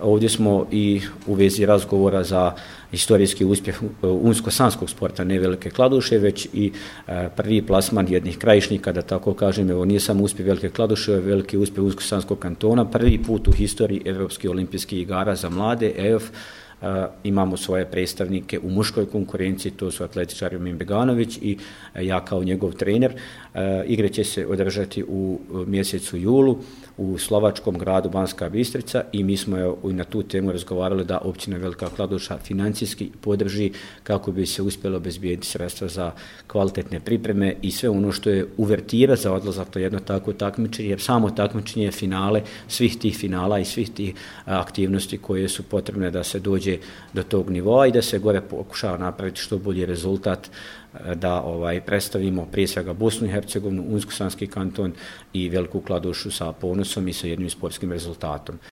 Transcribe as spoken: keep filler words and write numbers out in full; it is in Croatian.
Ovdje smo i u vezi razgovora za historijski uspjeh unsko-sanskog sporta, ne Velike Kladuše, već i prvi plasman jednih krajišnika, da tako kažem. Evo, nije samo uspjeh Velike Kladuše, veliki uspjeh unsko-sanskog kantona, prvi put u historiji Europskih olimpijskih igara za mlade, E O F. Uh, imamo svoje predstavnike u muškoj konkurenciji, to su atletičar Ermin Beganović i uh, ja kao njegov trener. Uh, igre će se održati u uh, mjesecu julu u slovačkom gradu Banska Bistrica i mi smo uh, na tu temu razgovarali da općina Velika Kladuša financijski podrži kako bi se uspjelo obezbijediti sredstva za kvalitetne pripreme i sve ono što je uvertira za odlazak to jedno takvo takmičenje, jer samo takmičenje je finale svih tih finala i svih tih uh, aktivnosti koje su potrebne da se dođe do tog nivoa i da se gore pokušava napraviti što bolji rezultat, da ovaj predstavimo prije svega Bosnu i Hercegovinu, Unsko-sanski kanton i Veliku Kladušu sa ponosom i sa jednim sportskim rezultatom.